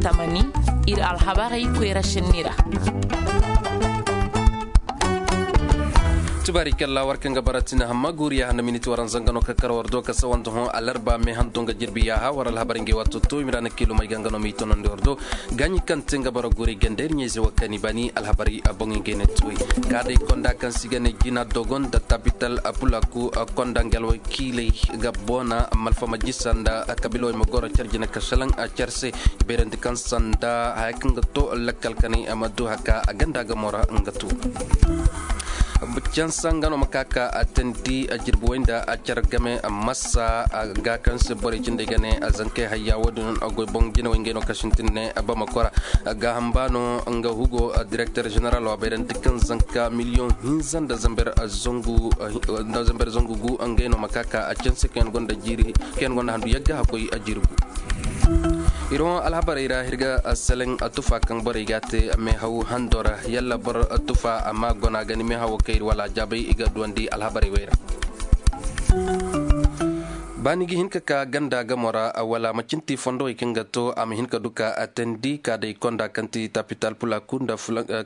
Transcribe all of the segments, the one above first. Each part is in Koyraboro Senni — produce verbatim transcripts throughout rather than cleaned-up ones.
Tamani, ir alhabarey koyra senni ra. Tubaari kalla war kaŋ ga bara tina hamma guuriya handa miniti waranza nga no ka kar war do ka sawanda hõ alarba me handu nga jirbi yaaha war alhabarey ngey waato to i ma ra na kiilumey ga nga no m'i tonandi war do. Gaaɲi kaŋ te nga bara guuri ganda ir ɲayze wo kaŋ i baani alhabarey boŋ ngey ne tuwey. Ka day konda kaŋ se i ga ne jina dogon nda tapital pulaku konda nga alwakiiley ga boona malfa ma jisa nda kabilawey ma goro care jina ka salaŋ care se. Beerandi kaŋ sanda haya kaŋ ga to lakkal kanay a ma du haka a ganda ga mora nga tu. Cansa nga no ma ka ka a tandi a jirbi way nda a care game masa ga kaŋ se borey cindey ga ne a zankey hayya wo- din a goy boŋ jinawey ngey no ka sintin ne a bama kora. Gaaham ba no nga hugo direkter general wa bayrandi kaŋ zanka miliyoŋ hinza nda zamber zangu gu ngey no ma ka ka a canse kaŋ yaŋ gonda handu yagga hakkoy a jirgu. Iri hõ alhabarey ra iri ga seleŋ tufa kaŋ borey ga a te meehaw hando ra yalla boro tufa amma gona ga ni meehawo kaŋ iri wala jaabay i ga duwandi alhabarey wey ra. Ba ni ga hin ka ka ganda gamo ra wala ma cinti fondowey kaŋ ga to a ma hin ka du ka a teendi ka day konda kaŋ ti tapital pulaku nda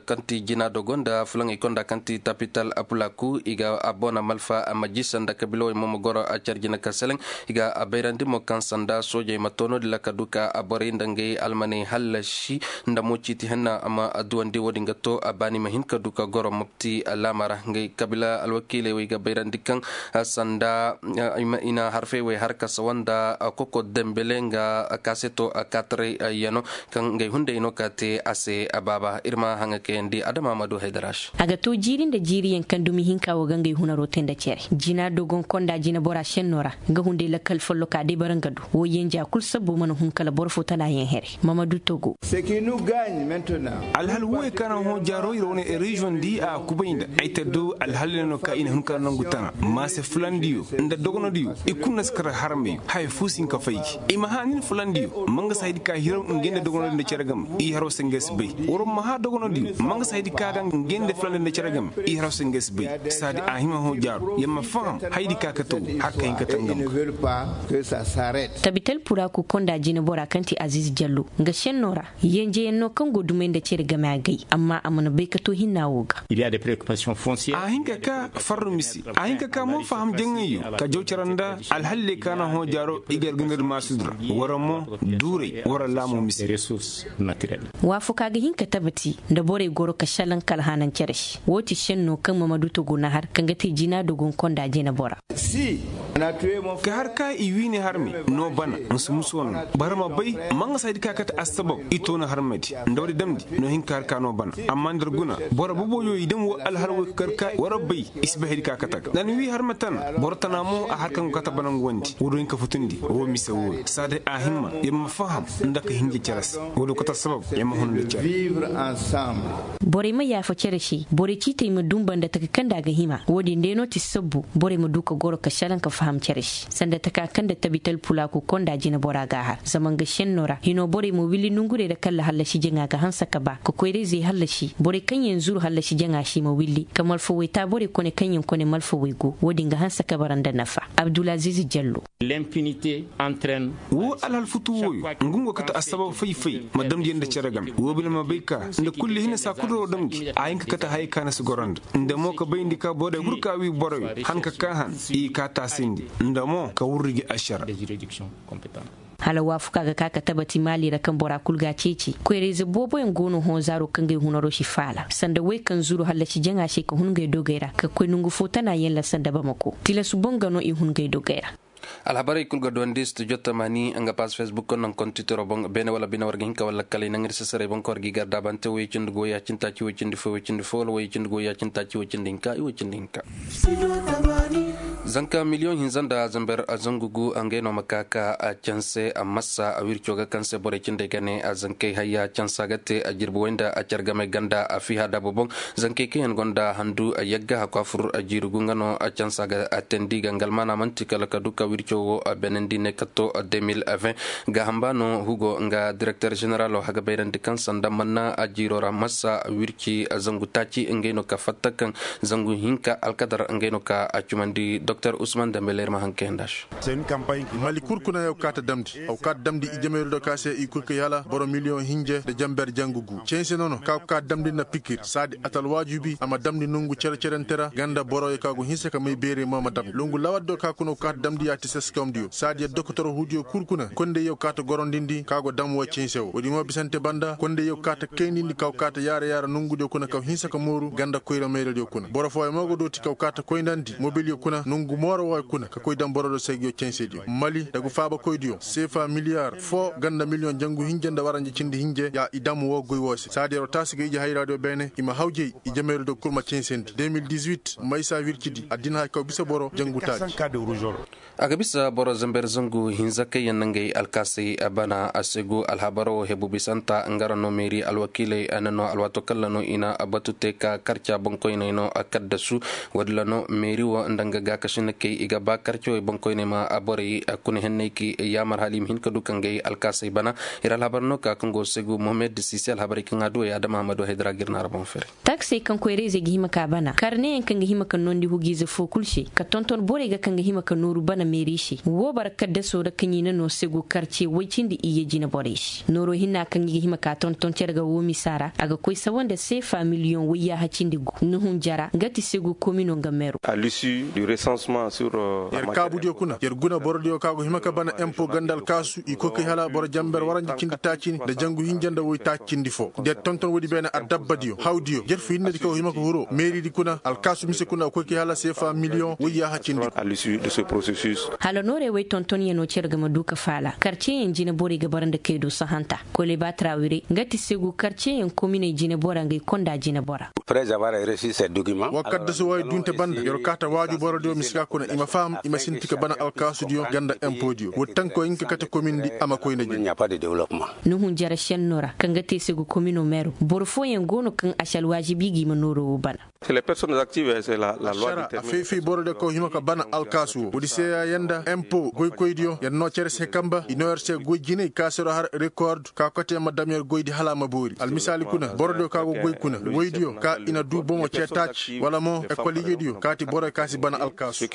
kaŋ ti jina dogo nda fulaŋey konda kaŋ ti tapital pulaku i ga a boona malfa a ma jisa nda kabilawey mo ma goro a care jina ka seleŋ. I ga a bayrandi mo kaŋ sanda soojey ma to no- din ra ka du ka a borey nda ngey almaney hallasi nda mo ciiti henna a ma duwandi wo- din ga to a baani ma hin ka du ka goro mopti laama ra ngey kabila alwakiiley wey ga bayrandi kaŋ sanda i na harfey wey har ka sawa nda koko dembele nga kaaseto kaataray yano kaŋ ngey hunday no ka te a se baaba ir ma haŋa kayandi adama ma du haydara se. A ga to jiiri nda jiiriyaŋ kaŋ dumi hinka wo ga ngey hunaro te nda cere jina dogon konda jinabora senno ra nga hunday lakkal folloka day bara nga du wo yenja kul sabbo mana hun kala boro fo tana yaŋ here mamadu togo. Alhal woy kaŋ a na hõ jaaro iri wane reziyoŋ di a kubay nda ay ta do alhal ne no ka i na hun ka nangu tana maase fulandiyo nda dogonodiyo i kulu na si kar harmey haya fu si hin ka fay gi i ma hã nin fulandiyo ma nga si haydi ka hiraw ngey nda dogonodiyo nda cere game i haro se ngey si bay. War ma hã dogonodiyo ma nga si haydi ka ga ngey nda fulandiyo nda cere game i haro se ngey si bay. Saadi a hima hõ jaaro yamma faham haydi ka kate wo har ka hin ka tangam. Tabital puraku konda jinabora kaŋ ti aziz jallo nga senno ra yenjeyaŋ no kaŋ go dumey nda cere game a gay amma a mana bay ka to hinna wo ga. A hin ka ka farru mise a hin ka ka mo faham jaŋayyo ka jaw care nda alhalley ka na hõ jaaro i ga yarga nda maasudu ra wara mo duuray wara laamo mise. Waafakaa ga hin ka tabati nda borey goro ka šalaŋ ka alhaanaŋ cere se woo ti senno kaŋ mamadu togo na har kaŋ ga te jina dogon konda jinabora. Ka har ka i wiine harme no bana musu musu wane no boro ma bay ma nga si haydi ka kate assabab i toona harmedi nda woodi damndi no hin ka har ka no bana amma nda ir guna boro boboyo i dam woo alhar woy ka kar ka war bay i si bay haydi ka kate ga da ni wii harme tana boro tana mo a har kaŋ go kate bana nga wandi woodi hin ka futundi woo mise wooyo saa day a himma ir ma faham nda ka hinja cere se woodi kate assabab ir ma hun nda cere. Borey ma yaafa cere se borey ciitey ma dunba nda taka kaŋ nda a ga hima woodin day no ti sabbu borey ma du ka goro ka šalaŋ ka faham cere se sanda taka kaŋ nda tabital pulaaku konda jinabora ga a har zama nga šenno ra hino borey ma willi nongurey ra kaŋ ra hallasi jaŋa ga hanse ka ba ka koyra-izey hallasi borey kaŋ yaŋ zuru hallasi jaŋa se i ma willi ka malfawey ta borey kone kaŋ yaŋ kone malfawey go woodin ga hanse ka bara nda nafa. Abdulaziz jallo. Woo alhal futu wooyo nga nga kate assabab fay-fay ma damndi yaŋ nda cere game woo bine ma bay ka nda kulli hinne saa kul ra woo damndi a hin ka kate hayey ka na si goro nda nda mo ka bayndi ka borey hur ka wii boroyo han ka kaa han i kaa taasindi nda mo ka wurri gi ašara. Hala waafakaa ga ka ka tabati maali ra kaŋ bora kul ga a ceeci koyra-ize booboyaŋ go no hõ zaaro kaŋ ga ay hunaro si faala sanda wey kaŋ zuru hallasi jaŋa se ka hun ngey dogey ra ka koy nongu fo tana yaŋ ra sanda bamako tilas boŋ ga no i hun ngey dogey ra. Alhabarey kul ga duwandi studio tamani nga paas facebook naŋ kontitoro boŋ beene wala bine war ga hin ka wala kala i naŋ ir sasaray boŋ ka war ga i gar daabante woy cindi go ya cindi taaci woy cindi fo woy cindi fo wala woy cindi go ya cindi taaci woy cindi hinka i woy cindi hinka. Zanka miliyoŋ hinza nda zamber zangu gu ngey no ma ka ka canse a masa a wirco ga kaŋ se borey cindey ga ne a zankey hayya cansa ga te a jirbi way nda a care game ganda a fiha daabo boŋ. Zankey kaŋ yaŋ gonda handu yagga hakku a fur jiiri gu nga no cansa ga a teendi ga nga almaana man'ti kala ka du ka wirco wo beenandi ne ka to deux mille vingt. Gaaham ba no hugo nga direkter ženeralo haga bayrandi kaŋ sanda manna a jiiro ra masa wirci zangu taaci ngey no ka fatta kaŋ zangu hinka alkadar ngey no ka a cumandi. Doktor usman dambe leer ma haŋ kayanda se. Mali kul kuna yaw kaata damndi, aw kaata damndi i jamayru do ka se i kul kay hala boro miliyoŋ hinje nda jamber jangu gu cense nono ka go ka damndi na pikir saadi atal waajubi a ma damndi nongu cere-cerente ra ganda boroyo ka go hinsa ka may beerey mo ma damndi longu lawat do ka kuna aw kaata damndi yaati seskawamdiyo saadi ya doktor huudiyo kul kuna kondey yaw kaata gorondindi ka go dam woo cense woo woodi mo bisante banda kondey yaw kaata kaynindi ka go kaata yaara yaara nongudiyo kuna ka go hinsa ka mooru ganda koyra mayradiyo kuna boro fooyo mo go dooti ka go kaata koyndandi mobilyo kuna nongu mooro wooyo kuna ka koy daŋ boro do saygiyo censediyo mali nda gu faabakoydiyo seefa miliyaar foo ganda miliyoŋ jangu hinje nda waranja cindi hinje ya i daŋ woo goy woo se saadi yer wo taasi ga ije hayraadiyo beene i ma hawjey i jamayru do kul ma censandi de mil dix-huit maysa wircidi addina hay kaw bisa boro jangu taaci. A ga bisa boro zamber zangu hinza kaŋ yaŋ na ngey alkaasay bana a segu alhabaro hebu bisanta nga ra no meeri alwakiiley na no alwaato kaŋ ra no i na batu te ka karca boŋkoyney no kaddasu. Woodin ra no meeri wo nda nga gaakasinakey i ga ba karcawey boŋkoyney ma borey kuna henney ka yaamar hala i ma hin ka du ka ngey alkaasay bana. Ir alhabar no ka kaŋ go segu mohamed sisi alhabarey kaŋ a duwey adama hamadu haydara ga ir naara boŋ fere. Taksey kaŋ koyra-izey ga hima ka bana karneyaŋ kaŋ ga hima ka noondi hugiize foo kul se ka tonton borey ga kaŋ ga hima ka nooru bana meeri se woo bara kaddaso ra kaŋ i na noo segu karce woy cindi iyye jine borey se nooroo hinna kaŋ i ga hima ka tonton cere ga woo misa ra a ga koy sawa nda seefa miliyoŋ woyyaaha cindi gu nuhun jara nga ti segu komino nga meru. Yer kaabudiyo kuna yer guna borodiyo ka go hima ka bana empo ganda alkaasu i koy kay hala boro jamber waranja cindi taacini nda jangu hinja nda woy taaci cindi foo nda yer tonton woodi beene addabbadiyo hawdiyo jerfu hinnedi ka go hima ka huroo meeridi kuna alkaasu mise kuna a koy kay hala seefa miliyoŋ woy yaaha cindi. Hala noorey woy tontonyanoo cere ga ma duu ka faala karceyaŋ jine borey ga bara nda kay do sahanta. Koleba trawire nga ti segu karceyaŋ kominey jine bora nga i konda jine bora. Wa kaddasu wooyo dunte banda yer kaata waaju borodiyo mise ka kuna i ma faham i ma sinti ka bana alkaasudiyo ganda empodiyo woodi tankoo hinka kate komindi a ma koy nda jine. Nuhun jara šennoo ra kaŋ ga te segu komino meru boro fooyaŋ go no kaŋ a si alwaajibi ga i ma nooroo woo bana. Ašara a fay-fay borodiyo kaŋ hima ka bana alkaasu woo woodi se ya yanda empo goykoydiyo yer noo cere se kamba i noo yer se goy jinay ka se do har rekord ka kote ma dam yer goydi hala a ma boori almisaali kuna borodiyo ka go goy kuna woydiyo ka i na duu bomo cee taaci wala mo ekol ijediyo kaati boroyo ka si bana alkaasu.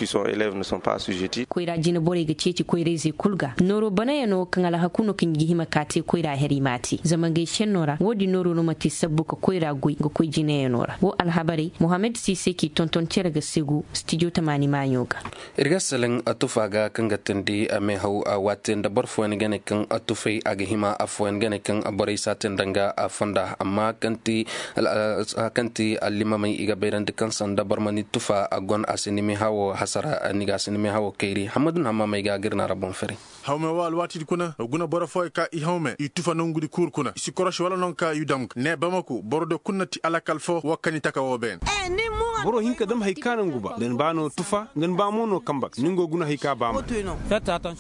Koyra jine borey ga ceeci koyra-izey kul ga nooroo banayanoo kaŋ alhaku no kaŋ i ga hima ka te koyra her i m'a te zama ngey šennoo ra woodin nooroo no ma te sabbu ka koyra goy nga koy jineyanoo ra woo alhabarey mohammed siise k'i tonton cere ga segu stijo tamaani maaɲo ga. Ir ga seleŋ tufa ga kaŋ ga teendi meehaw waate nda boro fooyaŋ ga ne kaŋ tufay a ga hima affooyaŋ ga ne kaŋ borey si a te nda nga fonda amma kaŋ ti allimamey i ga bayrandi kaŋ sanda boro ma ni tufa a gon a si ni meehawo hasara ni ga a si ni meehawo kayri hammadu na hammamey ga a ga ir na ra boŋ fere. Hawme wo alwaatidi kuna a guna boro fooyaŋ ka i hawme i tufa nongudi kuuru kuna i si korosi wala non ka i dam ga ne bamako borodiyo kul na ti alakal foo woo kani taka woo beene. Boro hin ka dam hari ka no ngu ba nda ni ba no tufa nda ni ba mo no kamba ga ni ngo guna hari ka ba ma.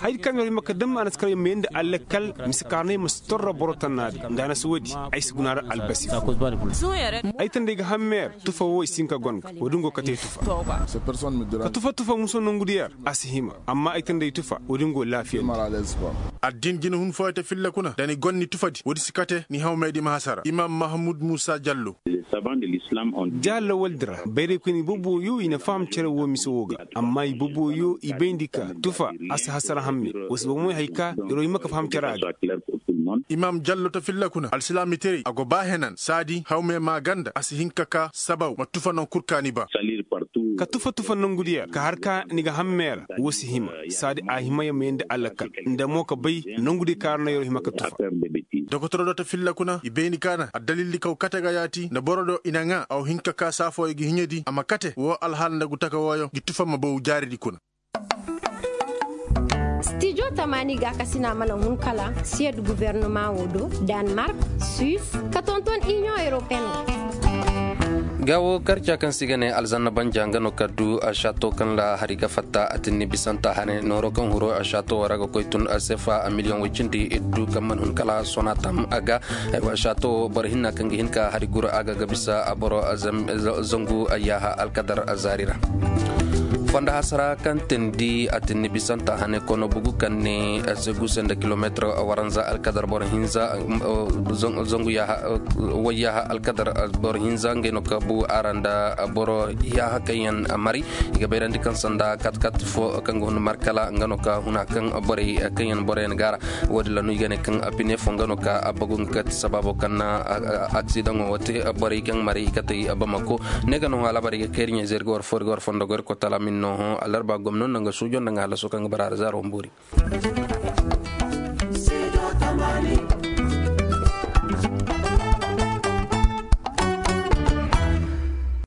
Hari di kaŋ yer hima ka dam a na si kar yer ma yee nda alakal mise kaarnay ma si torro boro tannaadi nda a na si woodi. Ay si guna ra albasi ay tanda ay ga hammeer tufa wo i si hin ka gon ga woodi ngo kate tufa. Ka tufa tufa muso nongudi yer a si hima amma ay tanda ay tufa woodi ngo laafiya. Addin jina hun fooyaŋ te filla kuna da ni gon ni tufadi woodi si kate ni hawmey di ma hasara imam mahamud muusa jallo. Jahal lawaldi ra bayraykoyni boboyo i na faham cere wo mise wo ga amma i boboyo i bayndi ka tufa a si hasara hamme. Wa si bomoy hari ka yer wo hima ka faham cere a ga. Imam jallo ta filla kuna alsilaamitaray a go ba henan saadi hawme maaganda a si hin ka ka sabaw ma tufa non kul ka ni ba. Ka tufa tufa nongudi yer ka har ka ni ga hamme ra wo si hima. Saadi a hima yer ma yee nda alakal nda mo ka bay nongudi ka ra no yer wo hima ka tufa. Dokotoro do ta filla kuna i bayni ka na addalildi kaw kate ga yaati nda boro do i na ŋaa a wo hin ka ka saafooyo ga hiɲedi a ma kate woo alhaala nda gu taka wooyo gi tufa ma baw jaaridi kuna. Stijo tamaani gaakasina mana hun kala siyed gubernumaŋo do, danmark, suis, ka tonton iniyoŋ europeyen. Ga wo karca kaŋ se i ga ne alzanna banja nga no ka du a šato kaŋ ra hari ga fatta a tinni bisanta hane nooro kaŋ huro a šato wo ra ga koy tun sefa a miliyoŋ way cindi iddu kaŋ mana hun kala sona tam a ga. Aywa šato wo boro hinna kaŋ ga hin ka hari guru a ga ga bisa a boro zangu yaaha alkadar zaari ra. Fondo hasara kaŋ tindi a tinni bisanta hane kono bugu kaŋ ne segu senda kilometir waranza alkadar boro hinza, wayyaha alkadar boro hinza ngey no ka bu ara nda boro yaha kaŋ yaŋ mari. I ga bayrandi kaŋ sanda katkat fo kaŋ ga hun markala nga no ka huna kaŋ borey kaŋ yaŋ boro yaŋ gaara. Wo- din ra no i ga ne kaŋ pine fo nga no ka bagu nga kati sababo kaŋ na aksidaŋo wo te borey kaŋ mari i katey bamako. Ne ga no halabarey ga kayri ɲey zeri ga war fo iri ga war fondo goy iri kotala min no hõ alarba gomno nda nga suujo nda nga halaso kaŋ ga bara ra zaaro humburi.